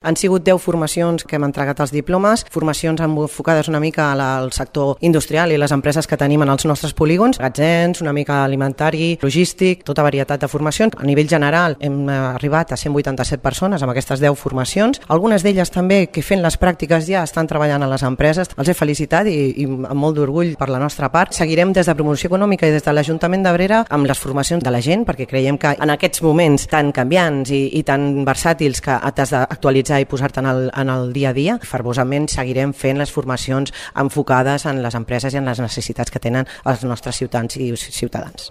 Han sigut 10 formacions que hem entregat els diplomes, formacions enfocades una mica al sector industrial i les empreses que tenim en els nostres polígons, magatzems, una mica alimentari, logístic, tota varietat de formacions. A nivell general hem arribat a 187 persones amb aquestes 10 formacions. Algunes d'elles també que fent les pràctiques ja estan treballant a les empreses. Els he felicitat i amb molt d'orgull per la nostra part. Seguirem des de Promoció Econòmica i des de l'Ajuntament d'Abrera amb les formacions de la gent, perquè creiem que en aquests moments tan canviants i tan versàtils que t'has d'actualitzar i posar-te en el dia a dia, fervosament seguirem fent les formacions enfocades en les empreses i en les necessitats que tenen els nostres ciutadans i ciutadans.